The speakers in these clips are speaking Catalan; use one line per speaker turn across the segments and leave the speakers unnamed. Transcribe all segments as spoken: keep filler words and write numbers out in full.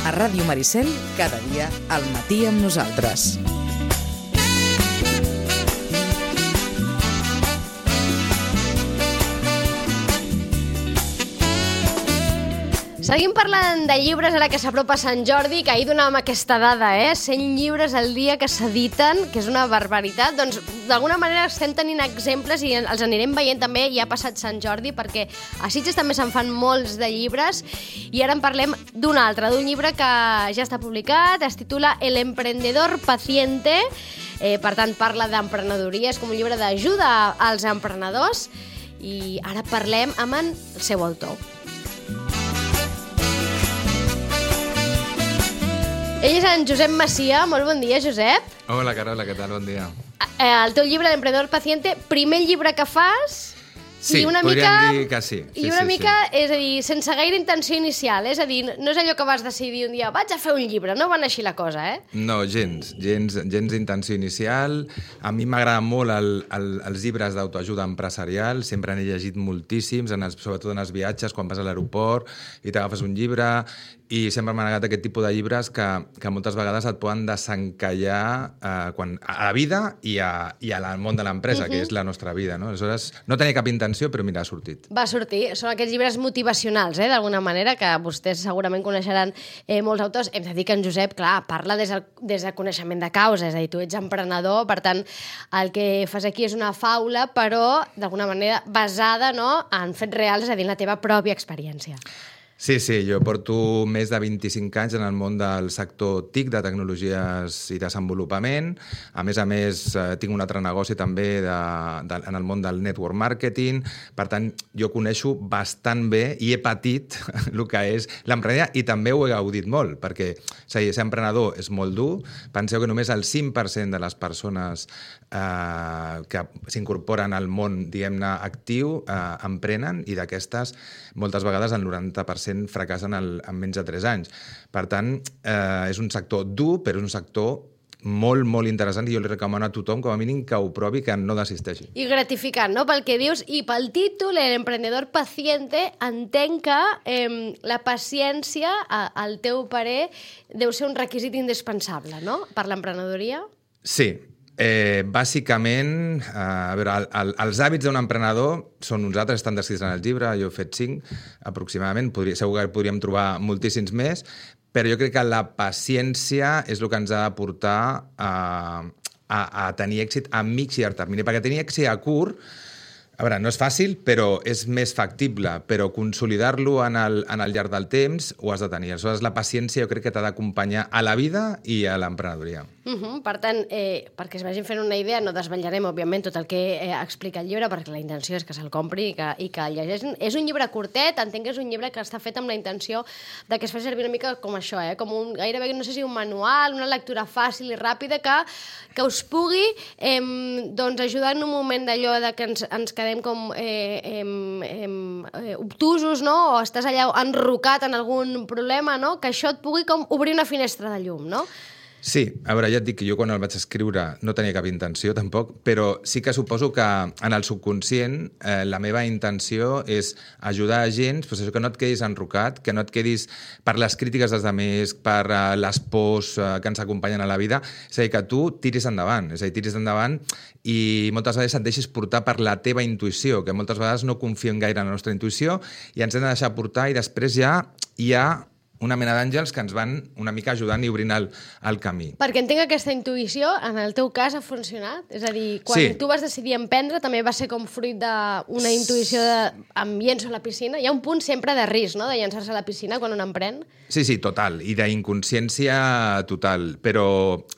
A Ràdio Maricel, cada dia al matí amb nosaltres.
Seguim parlant de llibres ara que s'apropa Sant Jordi, que ahir donàvem aquesta dada, eh? cent llibres al dia que s'editen, que és una barbaritat. Doncs, d'alguna manera, estem tenint exemples i els anirem veient també, ja ha passat Sant Jordi, perquè a Sitges també se'n fan molts de llibres, i ara en parlem d'un altre, d'un llibre que ja està publicat, es titula El emprendedor paciente, eh, per tant, parla d'emprenedoria, és com un llibre d'ajuda als emprenedors, i ara parlem amb el seu autor. Ell és en Josep Macia. Molt bon dia, Josep.
Hola, Carola, què tal? Bon dia.
El teu llibre, L'emprendedor paciente, primer llibre que fas...
Sí,
i una
podríem
mica,
dir que sí. sí
I una
sí,
mica,
sí.
és a dir, sense gaire intenció inicial. És a dir, no és allò que vas decidir un dia, vaig a fer un llibre, no va anar així la cosa, eh?
No, gens, gens, gens d'intenció inicial. A mi m'agraden molt el, el, els llibres d'autoajuda empresarial, sempre n'he llegit moltíssims, en els, sobretot en els viatges, quan vas a l'aeroport i t'agafes un llibre, i sempre m'han agradat aquest tipus de llibres que, que moltes vegades et poden desencallar eh, quan, a la vida i, a, i al món de l'empresa, uh-huh. que és la nostra vida. No? Aleshores, no tenia cap intenció, però mira, ha sortit.
Va sortir. Són aquests llibres motivacionals, eh, d'alguna manera, que vostès segurament coneixeran eh, molts autors. Hem de dir que en Josep, clar, parla des del, des del coneixement de causa, és a dir, tu ets emprenedor, per tant, el que fas aquí és una faula, però d'alguna manera basada, no, en fets reals, és a dir, en la teva pròpia experiència.
Sí, sí, jo porto més de vint-i-cinc anys en el món del sector T I C, de tecnologies i desenvolupament. A més a més, eh, tinc un altre negoci també de, de, en el món del network marketing. Per tant, jo coneixo bastant bé i he patit el que és l'emprenedoria i també ho he gaudit molt, perquè ser emprenedor és molt dur. Penseu que només el cinc per cent de les persones eh, que s'incorporen al món, diguem-ne, actiu, eh, emprenen, i d'aquestes, moltes vegades el noranta per cent fracassen el, en menys de tres anys. Per tant, eh, és un sector dur, però és un sector molt, molt interessant, i jo li recomano a tothom, com a mínim, que ho provi, que no desisteixi.
I gratificant, no?, pel que dius, i pel títol, l'emprendedor paciente, entenc que eh, la paciència, al teu parer, deu ser un requisit indispensable, no?, per l'emprenedoria?
Sí. Eh, bàsicament, eh, a veure, el, el, els hàbits d'un emprenedor són uns altres, estan descrits en el llibre, jo he fet cinc aproximadament, podria, segur que podríem trobar moltíssims més, però jo crec que la paciència és el que ens ha de portar a, a, a tenir èxit a mig i llarg termini, perquè tenir èxit a curt, a veure, no és fàcil, però és més factible, però consolidar-lo en el, en el llarg del temps ho has de tenir. Aleshores, la paciència jo crec que t'ha d'acompanyar a la vida i a l'emprenedoria.
Uh-huh. Per tant, eh, perquè es vagin fent una idea, no desvetllarem, òbviament, tot el que eh, explica el llibre, perquè la intenció és que se'l compri i que, i que el llegeixin. És un llibre curtet, entenc que és un llibre que està fet amb la intenció de que es faci servir una mica com això, eh? Com un, gairebé, no sé si un manual, una lectura fàcil i ràpida que, que us pugui eh, doncs, ajudar en un moment d'allò de que ens, ens quedem com eh, eh, eh, obtusos, no? O estàs allà enrocat en algun problema, no? Que això et pugui com obrir una finestra de llum, no?
Sí, a veure, ja et dic que jo quan el vaig escriure no tenia cap intenció tampoc, però sí que suposo que en el subconscient eh, la meva intenció és ajudar a gent, pues això, que no et quedis enrocat, que no et quedis per les crítiques dels altres, per eh, les pors eh, que ens acompanyen a la vida, és a dir, que tu tiris endavant, és a dir, tiris endavant i moltes vegades et deixis portar per la teva intuïció, que moltes vegades no confiem gaire en la nostra intuïció i ens hem de deixar portar, i després ja hi ha una mena d'àngels que ens van una mica ajudant i obrint el, el camí.
Perquè entenc que aquesta intuïció, en el teu cas, ha funcionat? És a dir, quan
sí.
tu vas decidir emprendre, també va ser com fruit d'una intuïció de em llenço a la piscina? Hi ha un punt sempre de risc, no?, de llançar-se a la piscina quan un emprèn?
Sí, sí, total, i d'inconsciència total, però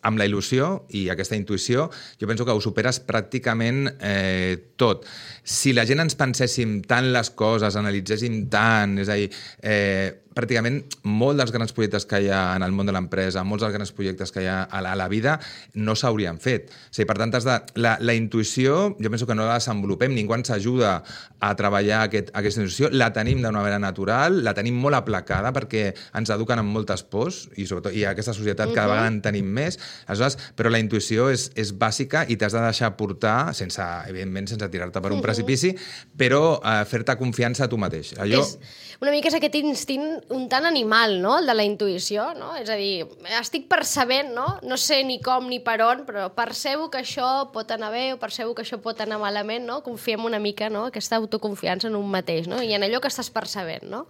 amb la il·lusió i aquesta intuïció jo penso que ho superes pràcticament eh, tot. Si la gent ens penséssim tant les coses, analitzéssim tant, és a dir, eh, pràcticament molt dels grans projectes que hi ha en el món de l'empresa, molts dels grans projectes que hi ha a la, a la vida, no s'haurien fet. O sigui, per tant, has de, la, la intuïció, jo penso que no la desenvolupem, ningú ens ajuda a treballar aquest, aquesta intuïció, la tenim d'una manera natural, la tenim molt aplacada perquè ens eduquen amb moltes pors i, sobretot, i aquesta societat cada vegada en tenim més. Aleshores, però la intuïció és, és bàsica i t'has de deixar portar, sense, evidentment, sense tirar-te per un precipici, però eh, fer-te confiança a tu mateix. Allò...
És, una mica és aquest instint un tant animal, no?, el de la intuïció, no? És a dir, estic percebent, no? No sé ni com ni per on, però percebo que això pot anar bé o percebo que això pot anar malament, no? Confiem una mica, no?, aquesta autoconfiança en un mateix, no? I en allò que estàs percebent, no?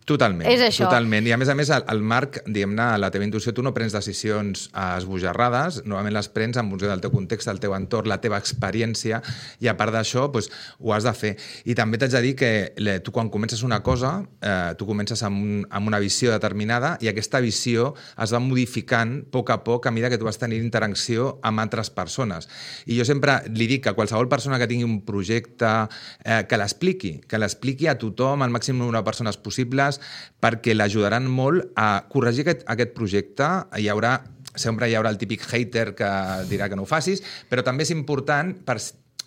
Totalment,
és això.
totalment. I a més a més, el, el Marc, diguem-ne, la teva intuïció, tu no prens decisions esbojarrades, normalment les prens en funció del teu context, del teu entorn, la teva experiència, i a part d'això, doncs, ho has de fer. I també t'haig de dir que tu quan comences una cosa, eh, tu comences amb, un, amb una visió determinada i aquesta visió es va modificant a poc a poc a mesura que tu vas tenir interacció amb altres persones. I jo sempre li dic que qualsevol persona que tingui un projecte, eh, que l'expliqui, que l'expliqui a tothom, al màxim número de persones possibles, perquè l'ajudaran molt a corregir aquest, aquest projecte. Hi haurà, sempre hi haurà el típic hater que dirà que no ho facis, però també és important per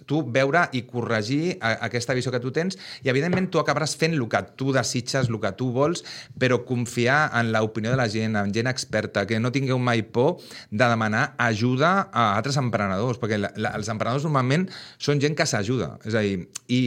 tu veure i corregir aquesta visió que tu tens i, evidentment, tu acabaràs fent el que tu desitges, el que tu vols, però confiar en l'opinió de la gent, en gent experta, que no tingueu mai por de demanar ajuda a altres emprenedors, perquè la, la, els emprenedors normalment són gent que s'ajuda. És a dir, i,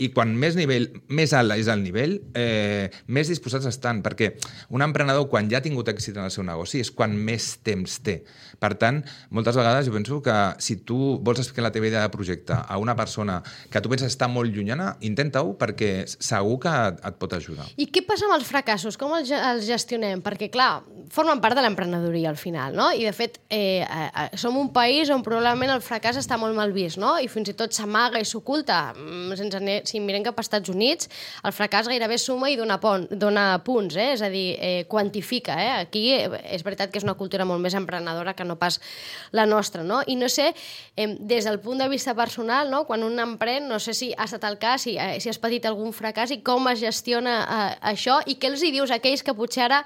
i quan més nivell, més alt és el nivell, eh, més disposats estan, perquè un emprenedor, quan ja ha tingut èxit en el seu negoci, és quan més temps té. Per tant, moltes vegades jo penso que si tu vols explicar la teva idea de projecte a una persona que tu penses està molt llunyana, intenta-ho, perquè segur que et, et pot ajudar.
I què passa amb els fracassos? Com els, els gestionem? Perquè, clar, formen part de l'emprenedoria al final, no? I, de fet, eh, eh, som un país on probablement el fracàs està molt mal vist, no? I fins i tot s'amaga i s'oculta. Sense, si mirem cap als Estats Units, el fracàs gairebé suma i dona, pon, dona punts, eh? És a dir, eh, quantifica. Eh? Aquí és veritat que és una cultura molt més emprenedora que no pas la nostra, no? I no sé, eh, des del punt de vista personal, no? Quan un emprèn, no sé si ha estat el cas, si, eh, si has patit algun fracàs i com es gestiona eh, això i què els hi dius a aquells que potser ara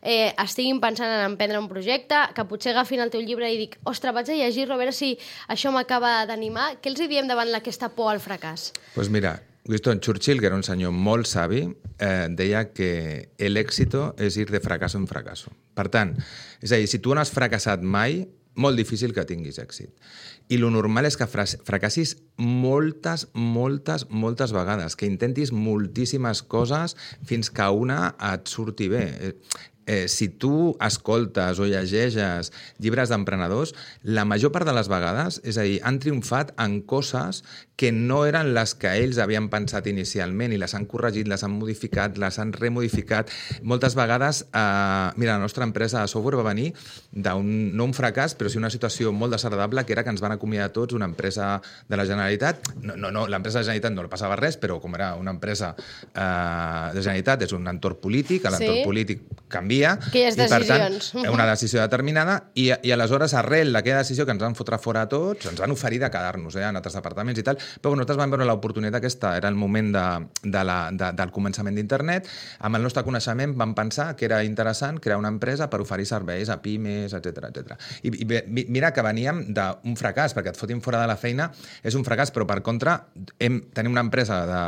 eh, estiguin pensant en emprendre un projecte, que potser agafin el teu llibre i dic, ostres, vaig a llegir-lo a veure si això m'acaba d'animar. Què els hi diem davant aquesta por al fracàs?
Doncs pues mira, Winston Churchill, que era un senyor molt savi, eh, deia que el éxito és ir de fracasso en fracasso. Per tant, és a dir, si tu no has fracassat mai, molt difícil que tinguis èxit. I lo normal és que fracassis moltes, moltes, moltes vegades, que intentis moltíssimes coses fins que una et surti bé. Eh, si tu escoltes o llegeixes llibres d'emprenedors, la major part de les vegades, és a dir, han triomfat en coses que no eren les que ells havien pensat inicialment i les han corregit, les han modificat, les han remodificat. Moltes vegades, eh, mira, la nostra empresa de software va venir d'un, no un fracàs, però sí una situació molt desagradable, que era que ens van acomiadar tots una empresa de la Generalitat. No, no, no, l'empresa de la Generalitat no li passava res, però com era una empresa eh, de Generalitat, és un entorn polític, l'entorn sí. polític canvia,
aquelles
i per
decisions.
tant, una decisió determinada, i, i aleshores, arrel d'aquella decisió que ens van fotre fora a tots, ens van oferir de quedar-nos eh, en altres departaments i tal, però nosaltres vam veure l'oportunitat aquesta, era el moment de, de la, de, del començament d'internet, amb el nostre coneixement vam pensar que era interessant crear una empresa per oferir serveis a pimes, etcètera, etcètera. I, i mira que veníem d'un fracàs, perquè et fotin fora de la feina és un fracàs, però per contra hem, tenim una empresa de,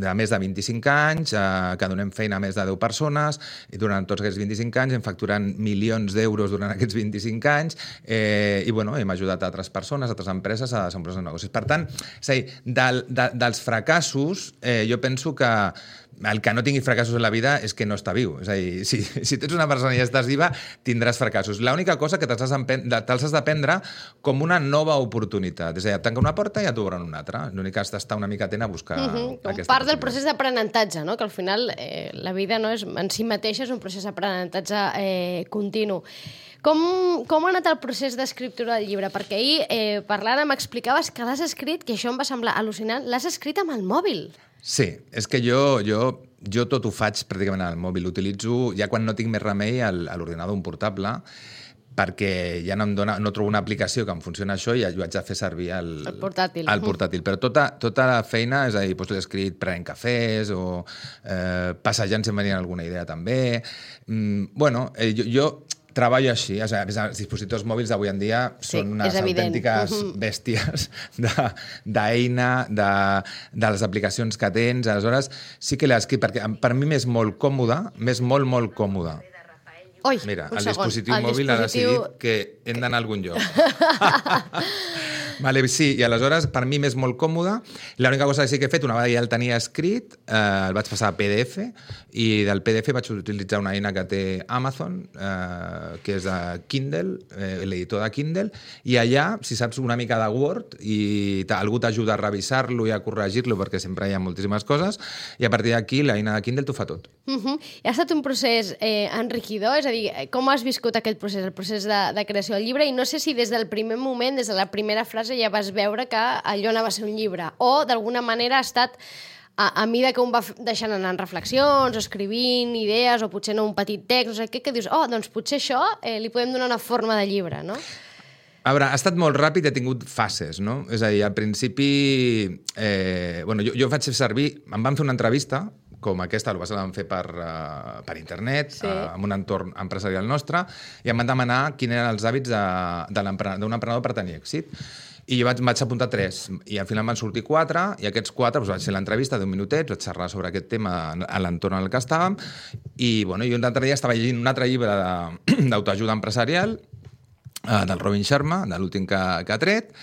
de més de vint-i-cinc anys, eh, que donem feina a més de deu persones, i durant tots aquests vint-i-cinc anys hem facturat milions d'euros durant aquests vint-i-cinc anys, eh, i bueno, hem ajudat a altres persones, a altres empreses a desenvolupar els negocis. Per tant, és a dir, Del, de, dels fracassos, eh, jo penso que el que no tingui fracassos en la vida és que no està viu. És a dir, si, si tu ets una persona i estàs viva, tindràs fracassos. L'única cosa que te'ls has de prendre com una nova oportunitat. És a dir, et tanca una porta i et obren una altra. L'únic que has d'estar una miqueta a buscar uh -huh.
com part del procés d'aprenentatge, no? Que al final eh, la vida no és, en si mateixa és un procés d'aprenentatge eh, continu. Com, com ha anat el procés d'escriptura del llibre? Perquè ahir, eh, parlant, m'explicaves que l'has escrit, que això em va semblar al·lucinant, l'has escrit amb el mòbil. Sí,
és que jo, jo, jo tot ho faig pràcticament al mòbil. Utilitzo, ja quan no tinc més remei, a l'ordinador un portable, perquè ja no, em dona, no trobo una aplicació que em funcioni això i jo haig de fer servir el,
el portàtil.
El portàtil. Però tota, tota la feina, és a dir, doncs l'he escrit prenent cafès o eh, passejant si em venia alguna idea també. Mm, bueno, eh, jo... jo treballo així, o sigui, els dispositius mòbils d'avui en dia
sí,
són unes autèntiques uh-huh. bèsties d'eina, de, de, de les aplicacions que tens, aleshores sí que l'he escrit, perquè per mi m'és molt còmode, m'és molt, molt còmode.
Oi,
Mira, el
segon.
dispositiu
el
mòbil
dispositiu...
ha decidit que hem d'anar a algun lloc. Vale, sí, i aleshores per mi m'és molt còmode. L'única cosa que sí que he fet, una vegada ja el tenia escrit, eh, el vaig passar a P D F i del P D F vaig utilitzar una eina que té Amazon, eh, que és de Kindle, eh, l'editor de Kindle, i allà, si saps una mica de Word i algú t'ajuda a revisar-lo i a corregir-lo, perquè sempre hi ha moltíssimes coses, i a partir d'aquí l'eina de Kindle t'ho fa tot.
Uh -huh. I ha estat un procés eh, enriquidor? És a dir, com has viscut aquest procés, el procés de, de creació del llibre? I no sé si des del primer moment, des de la primera frase, ja vas veure que allò anava a ser un llibre, o d'alguna manera ha estat a, a mida que un va deixant anar en reflexions, o escrivint idees, o potser no un petit text, no sé què, que dius, oh, doncs potser això eh, li podem donar una forma de llibre, no?
A veure, ha estat molt ràpid, he tingut fases, no? És a dir, al principi... Eh, bueno, jo, jo vaig fer servir... Em van fer una entrevista com aquesta, el van fer per, uh, per internet, sí. uh, en un entorn empresarial nostre, i em van demanar quins eren els hàbits d'un emprenedor per tenir èxit. I jo vaig, vaig apuntar tres, i al final van sortir quatre, i aquests quatre doncs, vaig fer l'entrevista d'un minutet, vaig xerrar sobre aquest tema a l'entorn en el que estàvem, i bueno, jo un altre dia estava llegint un altre llibre d'autoajuda empresarial, uh, del Robin Sharma, de l'últim que, que ha tret,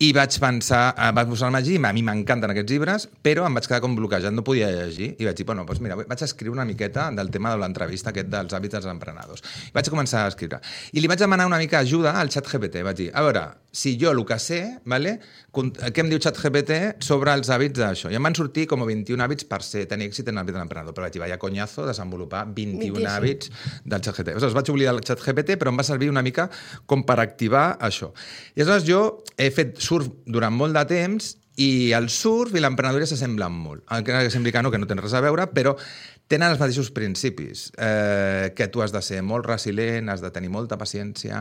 i vaig pensar, vaig posar-me a llegir, a mi m'encanten aquests llibres, però em vaig quedar com bloquejat, no podia llegir, i vaig dir, bueno, doncs mira, vaig escriure una miqueta del tema de l'entrevista aquest dels hàbits dels emprenedors. I vaig començar a escriure. I li vaig demanar una mica ajuda al ChatGPT. Vaig dir, a veure, si jo el que sé, vale, què em diu ChatGPT sobre els hàbits d'això? I em van sortir com vint-i-un hàbits per ser, tenir èxit en l'hàbit de l'emprenedor. Però vaig dir, vaya conyazo, desenvolupar vint-i-un hàbits del ChatGPT. Aleshores, vaig oblidar el ChatGPT, però em va servir una mica com per activar això. I aleshores jo he fet surf durant molt de temps i el surf i l'emprenedoria s'assemblen molt. Encara que sembli que no, que no tenen res a veure, però tenen els mateixos principis, eh, que tu has de ser molt resilient, has de tenir molta paciència,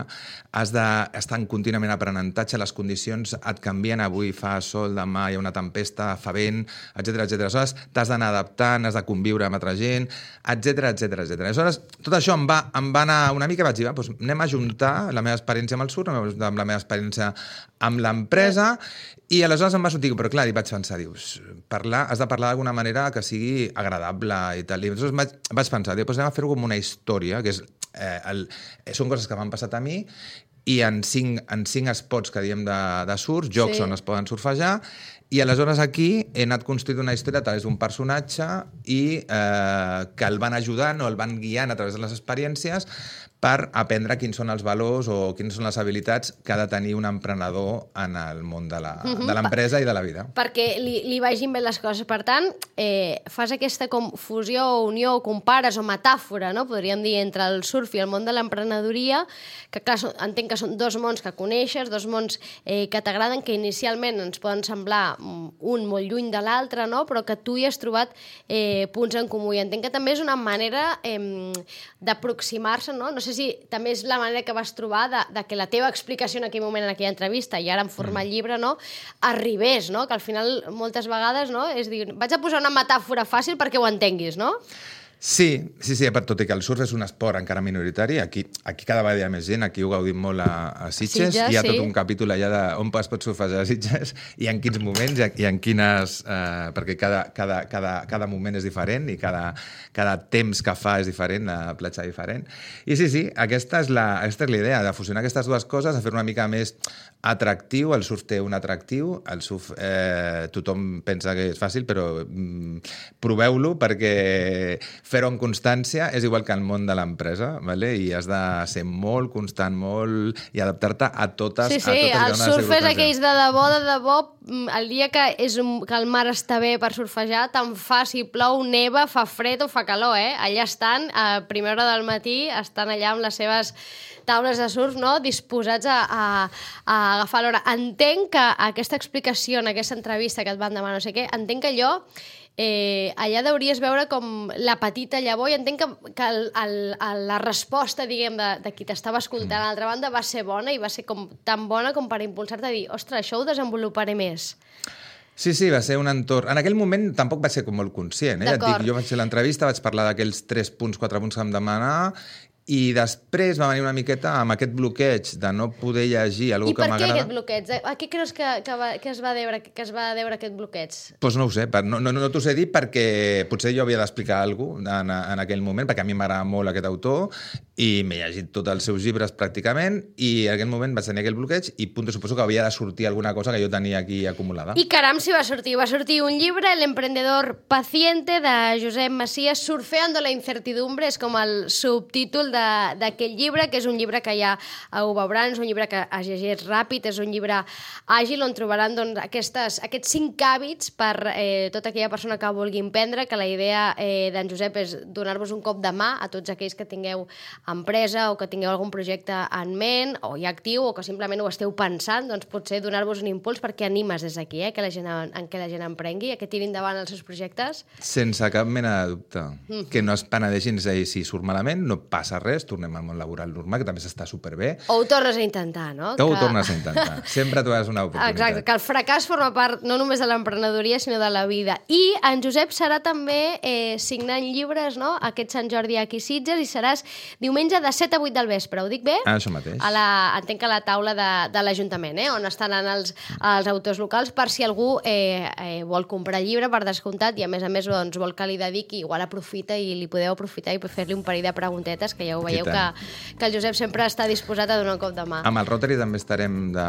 has d'estar en contínuament aprenentatge, les condicions et canvien, avui fa sol, demà hi ha una tempesta, fa vent, etcètera, etcètera. Aleshores, t'has d'anar adaptant, has de conviure amb altra gent, etcètera, etcètera, etcètera. Aleshores, tot això em va, em va anar una mica, vaig dir, va, doncs anem a juntar la meva experiència amb el surf, amb la meva experiència amb l'empresa, i aleshores em va sortir, però clar, i vaig pensar, dius, parlar, has de parlar d'alguna manera que sigui agradable i tal. I aleshores vaig, vaig pensar, doncs anem a fer-ho com una història, que és, eh, el, són coses que m'han passat a mi, i en cinc, en cinc spots que diem de, de surf, jocs sí. on es poden surfejar, i aleshores aquí he anat construint una història a través d'un personatge i eh, que el van ajudant o el van guiant a través de les experiències per aprendre quins són els valors o quines són les habilitats que ha de tenir un emprenedor en el món de l'empresa uh-huh. i de la vida.
Perquè li, li vagin bé les coses. Per tant, eh, fas aquesta com fusió o unió o compares o metàfora, no? Podríem dir, entre el surf i el món de l'emprenedoria, que clar, entenc que són dos mons que coneixes, dos mons eh, que t'agraden, que inicialment ens poden semblar un molt lluny de l'altre, no? Però que tu hi has trobat eh, punts en comú. I entenc que també és una manera eh, d'aproximar-se, no? No sé si també és la manera que vas trobar de, de que la teva explicació en aquell moment, en aquella entrevista, i ara en format mm. llibre, no? Arribés, no? Que al final, moltes vegades, no? És dir, vaig a posar una metàfora fàcil perquè ho entenguis, no?
Sí, sí, sí, tot i que el surf és un esport encara minoritari, aquí, aquí cada vegada hi ha més gent, aquí ho gaudim molt a, a Sitges, Sitges, hi ha sí. tot un capítol allà d'on es pot surfejar a Sitges i en quins moments i en quines... Eh, perquè cada, cada, cada, cada moment és diferent i cada, cada temps que fa és diferent, la platja diferent. I sí, sí, aquesta és la, aquesta és la idea, de fusionar aquestes dues coses, a fer una mica més atractiu, el surf té un atractiu, el surf eh, tothom pensa que és fàcil, però mm, proveu-lo perquè fer-ho amb constància és igual que el món de l'empresa, ¿vale? I has de ser molt constant, molt... i adaptar-te a totes...
Sí, sí,
a totes
el surf és aquells de debò, de debò, el dia que, és un, que el mar està bé per surfejar, tant fa si plou, neva, fa fred o fa calor, eh? Allà estan, a primera hora del matí, estan allà amb les seves taules de surf, no?, disposats a, a, a agafar l'hora. Entenc que aquesta explicació en aquesta entrevista que et van demanar no sé què, entenc que allò Eh, allà hauries veure com la petita llavor, i entenc que, que el, el, el, la resposta, diguem, de, de qui t'estava escoltant a l'altra banda va ser bona, i va ser com, tan bona com per impulsar-te a dir, ostres, això ho desenvoluparé més.
Sí, sí, va ser un entorn... En aquell moment tampoc vaig ser com molt conscient, eh? Et dic, jo vaig fer l'entrevista, vaig parlar d'aquells tres punts, quatre punts que em demanava, i després va venir una miqueta amb aquest bloqueig de no poder llegir algú que m'agrada. I per què aquest bloqueig?
A què creus que, que, va, que, es va deure, que es va deure aquest bloqueig?
Doncs pues no ho sé, no, no, no t'ho sé dir perquè potser jo havia d'explicar alguna cosa en, en aquell moment, perquè a mi m'agrada molt aquest autor, i m'he llegit tots els seus llibres pràcticament i en aquell moment vaig tenir aquell bloqueig i punto, suposo que havia de sortir alguna cosa que jo tenia aquí acumulada.
I caram, si va sortir. Va sortir un llibre, El emprendedor paciente, de Josep Macias, Surfeando la incertidumbre, és com el subtítol d'aquest llibre, que és un llibre que ja ho veuran, és un llibre que es llegeix ràpid, és un llibre àgil on trobaran doncs, aquestes, aquests cinc hàbits per eh, tota aquella persona que vulgui emprendre, que la idea eh, d'en Josep és donar-vos un cop de mà a tots aquells que tingueu empresa o que tingueu algun projecte en ment o ja actiu o que simplement ho esteu pensant, doncs potser donar-vos un impuls perquè animes des d'aquí, eh, que la gent, en què la gent emprengui, que tiri endavant els seus projectes.
Sense cap mena de dubte. Mm. Que no es penedeixin, és a dir, si surt malament, no passa res, tornem al món laboral normal, que també s'està superbé.
O ho tornes a intentar, no?
Que ho
que...
tornes a intentar. Sempre trobaràs una oportunitat.
Exacte, que el fracàs forma part no només de l'emprenedoria, sinó de la vida. I en Josep serà també eh, signant llibres, no?, aquest Sant Jordi aquí a Sitges, i seràs diumenge de set a vuit del vespre, ho dic bé?
Ah, això mateix.
A la, entenc que a la taula de, de l'Ajuntament, eh? On estaran els, els autors locals, per si algú eh, eh, vol comprar llibre per descomptat i a més a més doncs, vol que li dediqui, igual aprofita i li podeu aprofitar i fer-li un parell de preguntetes, que ja ho veieu que, que el Josep sempre està disposat a donar un cop de mà.
Amb el Rotary també estarem de...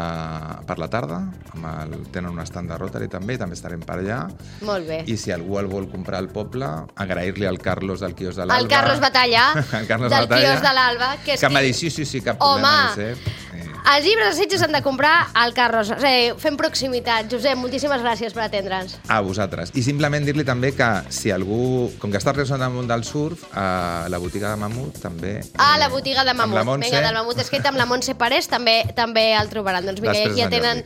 per la tarda, amb el... tenen un estand de Rotary també, també estarem per allà.
Molt bé.
I si algú el vol comprar al poble, agrair-li al Carlos del quios de l'Alba.
El Carlos Batalla,
el Carlos
del
Batalla,
quios de l'Alba. Que,
que m'ha dit, sí, sí, sí, cap problema.
Home, sí. Els llibres de Sitges han de comprar al Carlos. Eh, fem proximitat. Josep, moltíssimes gràcies per atendre'ns.
A vosaltres. I simplement dir-li també que si algú, com que està relacionat amb el món del surf, a la botiga de Mamut també...
Ah, la botiga de Mamut.
Amb la Montse.
Vinga, del Mamut escrit amb la Montse Parés també també el trobaran. Doncs vinga, aquí ja tenen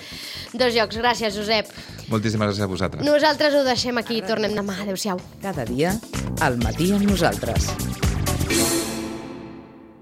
dos llocs. Gràcies, Josep.
Moltíssimes gràcies a vosaltres.
Nosaltres ho deixem aquí i tornem demà. Adéu-siau.
Cada dia, al matí amb nosaltres.